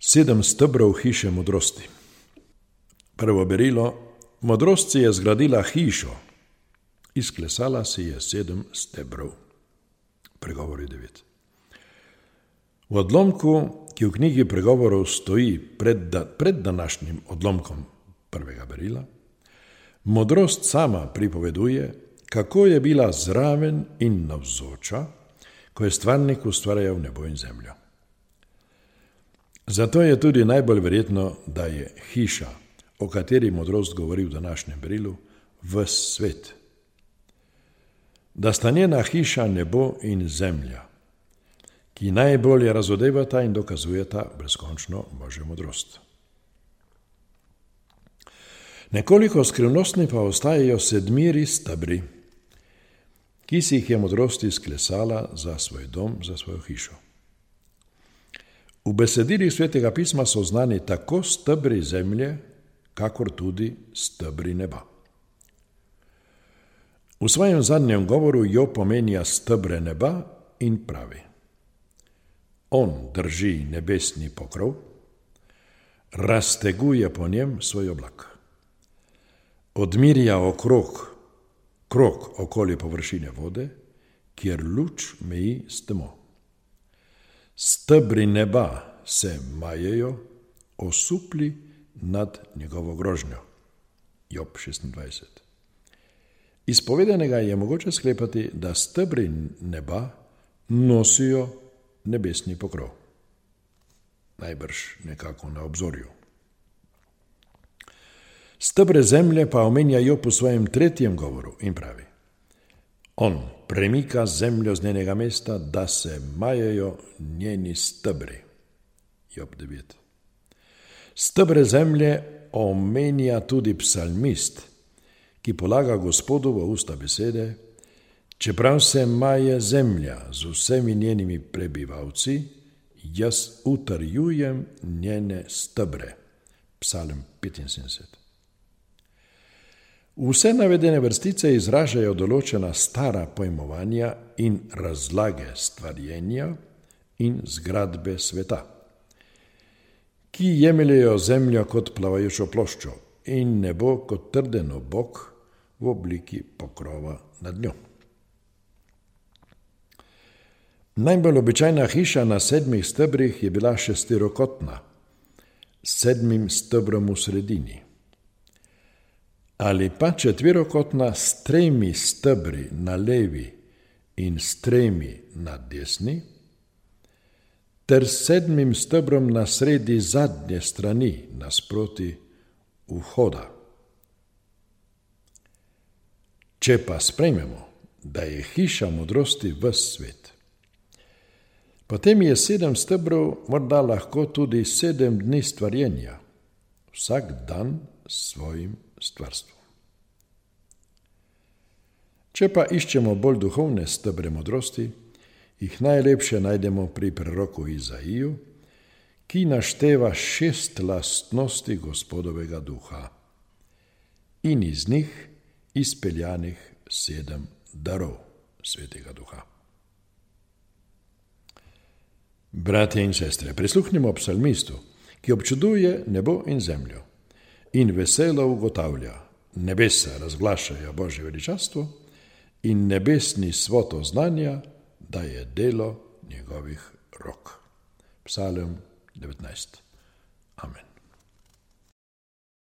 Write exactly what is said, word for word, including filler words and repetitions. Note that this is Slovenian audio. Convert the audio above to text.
Sedem stebrov hiše modrosti. Prvo berilo. Modrost si je zgradila hišo, izklesala si je sedem stebrov. Pregovori devet. V odlomku, ki v knjigi pregovorov stoji pred, da, pred današnjim odlomkom prvega berila, modrost sama pripoveduje, kako je bila zraven in navzoča, ko je stvarnik ustvarjal nebo in zemljo. Zato je tudi najbolj verjetno, da je hiša, o kateri modrost govori v današnjem berilu, ves svet. Da sta njena hiša nebo in zemlja, ki najbolje razodevata in dokazujeta brezkončno Božjo modrost. Nekoliko skrivnostni pa ostajajo sedmiri stebri, ki si jih je modrost izklesala za svoj dom, za svojo hišo. V besedilih Svetega pisma so znani tako stebri zemlje, kakor tudi stebri neba. V svojem zadnjem govoru jo pomenja stebre neba in pravi: On drži nebesni pokrov, razteguje po njem svoj oblak, odmirja okrog, krog okoli površine vode, kjer luč meji s temo. Stebri neba se majejo, osupli nad njegovo grožnjo. Job šestindvajset. Iz povedanega je mogoče sklepati, da stebri neba nosijo nebesni pokrov. Najbrž nekako na obzorju. Stebre zemlje pa omenja Job v svojem tretjem govoru in pravi: On premika zemljo z njenega mesta, da se majejo njeni stebri. Job devet. Stebre zemlje omenja tudi psalmist, ki polaga Gospodu v usta besede: Čeprav se maje zemlja z vsemi njenimi prebivalci, jaz utrjujem njene stebre. Psalm petinsedemdeset. Vse navedene vrstice izražajo določena stara pojmovanja in razlage stvarjenja in zgradbe sveta, ki jemljejo zemljo kot plavajočo ploščo in nebo kot trden obok v obliki pokrova nad njo. Najbolj običajna hiša na sedmih stebrih je bila šestirokotna, s sedmim stebrom v sredini, ali pa četvirokotna s tremi stebri na levi in s tremi na desni, ter sedmim stebrom na sredi zadnje strani nasproti vhoda. Če pa sprejmemo, da je hiša modrosti ves svet, potem je sedem stebrov morda lahko tudi sedem dni stvarjenja, vsak dan s svojim stvarstvom. Če pa iščemo bolj duhovne stebre modrosti, jih najlepše najdemo pri preroku Izaiju, ki našteva šest lastnosti Gospodovega duha in iz njih izpeljanih sedem darov Svetega duha. Bratje in sestre, prisluhnimo psalmistu, ki občuduje nebo in zemljo in veselo ugotavlja: nebesa razglašajo Božje veličastvo in nebesni svod oznanja, da je delo njegovih rok. Psalm devetnajst.